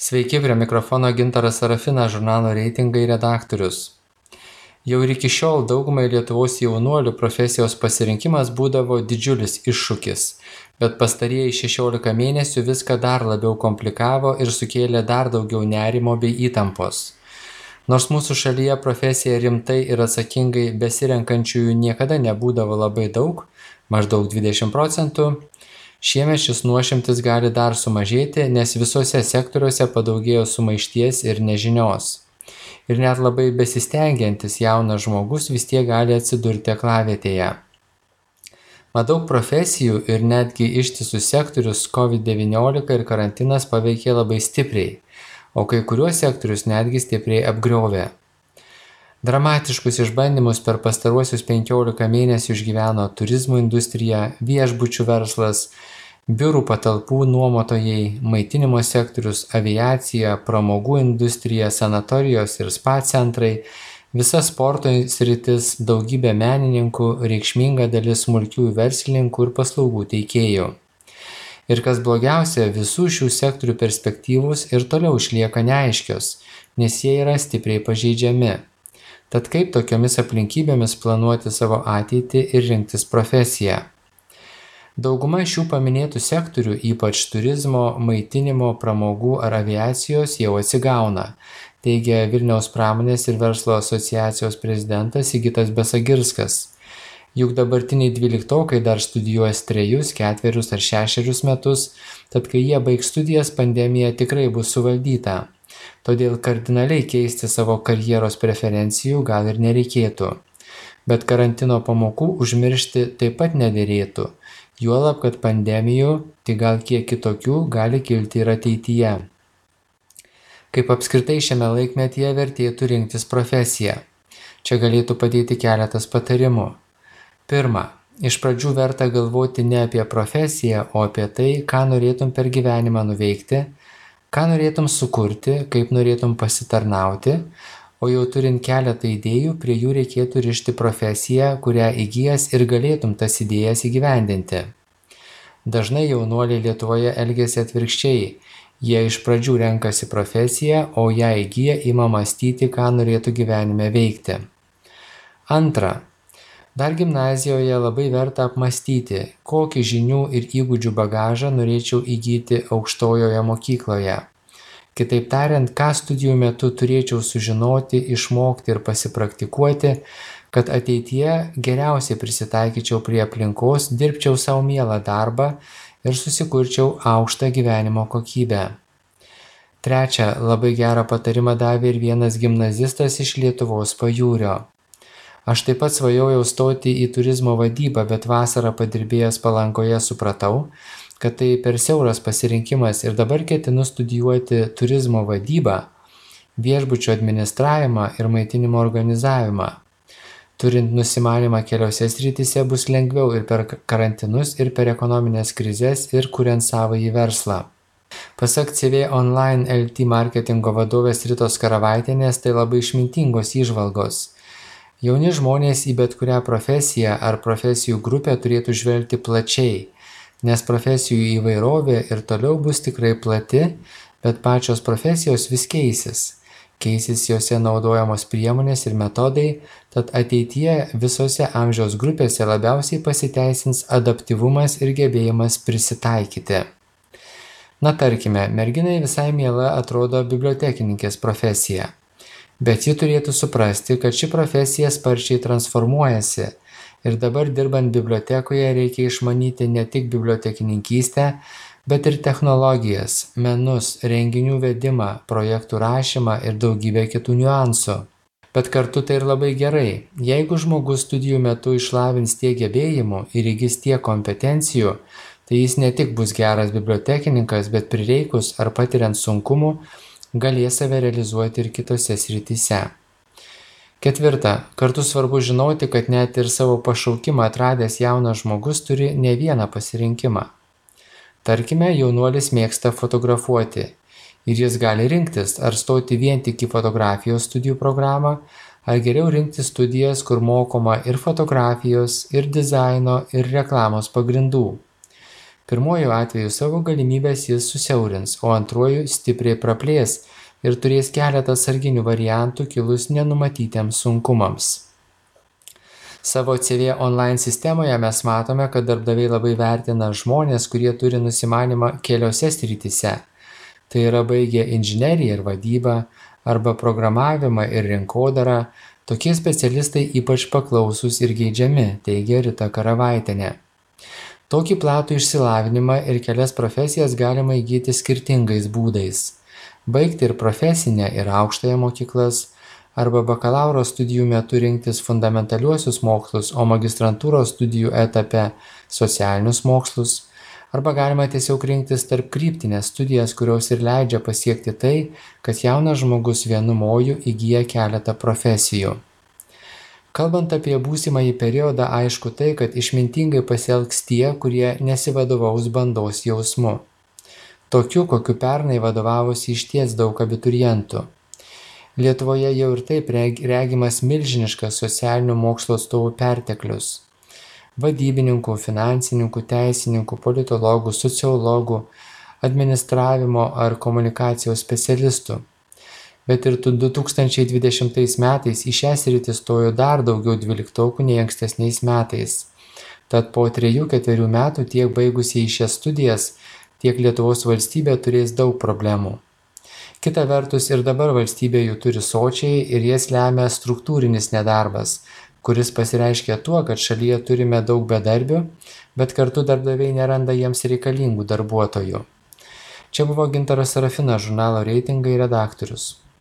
Sveiki, prie mikrofono Gintaras Sarafinas, žurnalo reitingai redaktorius. Jau ir iki šiol daugumai Lietuvos jaunuolių profesijos pasirinkimas būdavo didžiulis iššūkis, bet pastarieji 16 mėnesių viską dar labiau komplikavo ir sukėlė dar daugiau nerimo bei įtampos. Nors mūsų šalyje profesiją rimtai ir atsakingai besirenkančiųjų niekada nebūdavo labai daug, maždaug 20%, šiemet šis nuošimtis gali dar sumažėti, nes visose sektoriuose padaugėjo sumaišties ir nežinios. Ir net labai besistengiantis jaunas žmogus vis tiek gali atsidurti aklavietėje. Mat daug profesijų ir netgi ištisus sektorius COVID-19 ir karantinas paveikė labai stipriai, o kai kuriuos sektorius netgi stipriai apgriovė. Dramatiškus išbandymus per pastaruosius 15 mėnesių išgyveno turizmo industrija, viešbučių verslas, biurų patalpų nuomotojai, maitinimo sektorius, aviacija, pramogų industrija, sanatorijos ir spa centrai, visa sporto sritis, daugybė menininkų, reikšminga dalis smulkiųjų verslininkų ir paslaugų teikėjų. Ir kas blogiausia, visų šių sektorių perspektyvos ir toliau išlieka neaiškios, nes jie yra stipriai pažeidžiami. Tad kaip tokiomis aplinkybėmis planuoti savo ateitį ir rinktis profesiją? Dauguma šių paminėtų sektorių, ypač turizmo, maitinimo, pramogų ar aviacijos, jau atsigauna, teigia Vilniaus pramonės ir verslo asociacijos prezidentas Sigitas Besagirskas. Juk dabartiniai 12-okai dar studijuos 3, 4 ar 6 metus, tad kai jie baigs studijas, pandemija tikrai bus suvaldyta. Todėl kardinaliai keisti savo karjeros preferencijų gal ir nereikėtų. Bet karantino pamokų užmiršti taip pat nederėtų, juolab, kad pandemijų, tik gal kiek kitokių, gali kilti ir ateityje. Kaip apskritai šiame laikmetyje vertėtų rinktis profesiją? Čia galėtų padėti keletas patarimų. Pirma, iš pradžių verta galvoti ne apie profesiją, o apie tai, ką norėtum per gyvenimą nuveikti, ką norėtum sukurti, kaip norėtum pasitarnauti, o jau turint keletą idėjų, prie jų reikėtų rišti profesiją, kurią įgijęs ir galėtum tas idėjas įgyvendinti. Dažnai jaunuoliai Lietuvoje elgiasi atvirkščiai. Jie iš pradžių renkasi profesiją, o ją įgiję ima mąstyti, ką norėtų gyvenime veikti. Antra. Dar gimnazijoje labai verta apmąstyti, kokį žinių ir įgūdžių bagažą norėčiau įgyti aukštojoje mokykloje. Kitaip tariant, ką studijų metu turėčiau sužinoti, išmokti ir pasipraktikuoti, kad ateityje geriausiai prisitaikyčiau prie aplinkos, dirbčiau savo mielą darbą ir susikurčiau aukštą gyvenimo kokybę. Trečia, labai gerą patarimą davė ir vienas gimnazistas iš Lietuvos pajūrio. Aš taip pat svajojau stoti į turizmo vadybą, bet vasarą padirbėjęs Palangoje supratau, kad tai per siauras pasirinkimas ir dabar ketinu studijuoti turizmo vadybą, viešbučio administravimą ir maitinimo organizavimą. Turint nusimanymą keliose srityse bus lengviau ir per karantinus, ir per ekonominės krizes, ir kuriant savąjį verslą. Pasak CV Online LT marketingo vadovės Ritos Karavaitienės, tai labai išmintingos įžvalgos. Jauni žmonės į bet kurią profesiją ar profesijų grupę turėtų žvelgti plačiai, nes profesijų įvairovė ir toliau bus tikrai plati, bet pačios profesijos vis keisis. Keisis jose naudojamos priemonės ir metodai, tad ateityje visose amžiaus grupėse labiausiai pasiteisins adaptyvumas ir gebėjimas prisitaikyti. Na tarkime, merginai visai miela atrodo bibliotekininkės profesija. Bet ji turėtų suprasti, kad ši profesija sparčiai transformuojasi ir dabar dirbant bibliotekoje reikia išmanyti ne tik bibliotekininkystę, bet ir technologijas, menus, renginių vedimą, projektų rašymą ir daugybę kitų niuansų. Bet kartu tai ir labai gerai. Jeigu žmogus studijų metu išlavins tiek gebėjimų ir įgis tiek kompetencijų, tai jis ne tik bus geras bibliotekininkas, bet prireikus ar patiriant sunkumų, galės save realizuoti ir kitose srityse. Ketvirta, kartu svarbu žinoti, kad net ir savo pašaukimą atradęs jaunas žmogus turi ne vieną pasirinkimą. Tarkime, jaunuolis mėgsta fotografuoti ir jis gali rinktis, ar stoti vien tik į fotografijos studijų programą, ar geriau rinktis studijas, kur mokoma ir fotografijos, ir dizaino, ir reklamos pagrindų. Pirmuoju atveju savo galimybes jis susiaurins, o antruoju stipriai praplės ir turės keletą atsarginių variantų kilus nenumatytiems sunkumams. Savo CV online sistemoje mes matome, kad darbdaviai labai vertina žmonės, kurie turi nusimanimą keliose srityse. Tai yra baigę inžineriją ir vadybą arba programavimą ir rinkodarą. Tokie specialistai ypač paklausūs ir geidžiami, teigia Rita Karavaitienė. Tokį platų išsilavinimą ir kelias profesijas galima įgyti skirtingais būdais. Baigti ir profesinę, ir aukštąją mokyklas, arba bakalauro studijų metu rinktis fundamentaliuosius mokslus, o magistrantūros studijų etape socialinius mokslus, arba galima tiesiog rinktis tarp kryptinės studijas, kurios ir leidžia pasiekti tai, kad jaunas žmogus vienu moju įgyja keletą profesijų. Kalbant apie būsimąjį periodą, aišku tai, kad išmintingai pasielgs tie, kurie nesivadovaus bandos jausmu. Tokiu, kokiu pernai vadovavosi išties daug abiturientų. Lietuvoje jau ir taip regimas milžiniškas socialinių mokslo atstovų perteklius. Vadybininkų, finansininkų, teisininkų, politologų, sociologų, administravimo ar komunikacijos specialistų. Bet ir 2020 metais į šią sritį stojo dar daugiau dvyliktokų nei ankstesniais metais. Tad po 3-4 metų tiek baigusieji šias studijas, tiek Lietuvos valstybė turės daug problemų. Kita vertus ir dabar valstybė jų turi sočiai ir jas lemia struktūrinis nedarbas, kuris pasireiškia tuo, kad šalyje turime daug bedarbių, bet kartu darbdaviai neranda jiems reikalingų darbuotojų. Čia buvo Gintaras Serafinas, žurnalo Reitingai redaktorius.